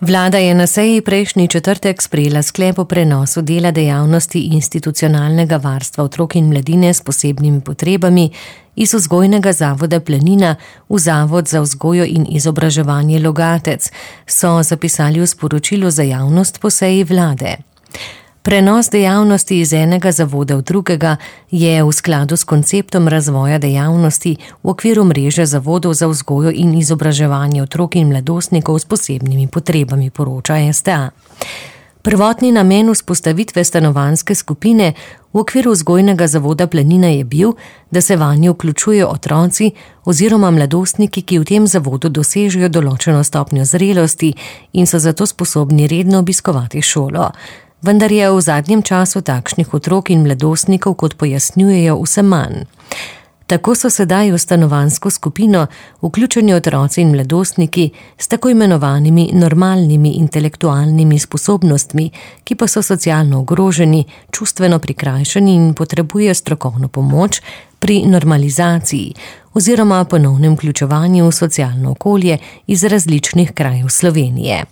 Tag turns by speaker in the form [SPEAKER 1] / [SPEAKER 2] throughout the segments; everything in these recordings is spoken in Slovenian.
[SPEAKER 1] Vlada je na seji prejšnji četrtek sprejela sklep o prenosu dela dejavnosti institucionalnega varstva otrok in mladine s posebnimi potrebami iz Vzgojnega zavoda Planina v Zavod za vzgojo in izobraževanje Logatec, so zapisali v sporočilu za javnost po seji vlade. Prenos dejavnosti iz enega zavoda v drugega je v skladu s konceptom razvoja dejavnosti v okviru mreže zavodov za vzgojo in izobraževanje otrok in mladostnikov s posebnimi potrebami, poroča STA. Prvotni namen vzpostavitve stanovanjske skupine v okviru Vzgojnega zavoda Planina je bil, da se vanjo vključujejo otroci oziroma mladostniki, ki v tem zavodu dosežejo določeno stopnjo zrelosti in so zato sposobni redno obiskovati šolo. Vendar je v zadnjem času takšnih otrok in mladostnikov, kot pojasnjujejo, vse manj. Tako so sedaj v stanovanjsko skupino vključeni otroci in mladostniki s tako imenovanimi normalnimi intelektualnimi sposobnostmi, ki pa so socialno ogroženi, čustveno prikrajšani in potrebujejo strokovno pomoč pri normalizaciji oziroma ponovnem vključevanju v socialno okolje iz različnih krajev Slovenije.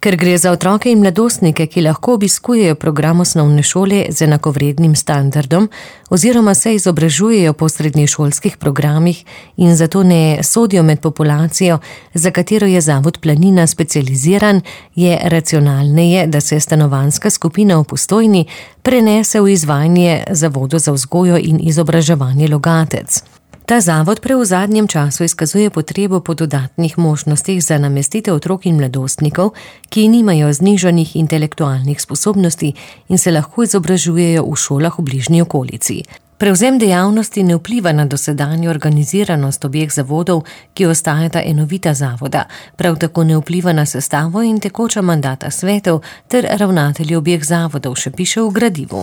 [SPEAKER 1] Ker gre za otroke in mladostnike, ki lahko obiskujejo program osnovne šole z enakovrednim standardom oziroma se izobražujejo po srednješolskih programih in zato ne sodijo med populacijo, za katero je Zavod Planina specializiran, je racionalneje, da se stanovanjska skupina v Postojni prenese v izvajanje Zavodu za vzgojo in izobraževanje Logatec. Ta zavod v zadnjem času izkazuje potrebo po dodatnih možnostih za namestitev otrok in mladostnikov, ki nimajo znižanih intelektualnih sposobnosti in se lahko izobražujejo v šolah v bližnji okolici. Prevzem dejavnosti ne vpliva na dosedanjo organiziranost obeh zavodov, ki ostajata enovita zavoda, prav tako ne vpliva na sestavo in tekoča mandata svetov ter ravnatelji obeh zavodov, še piše v gradivu.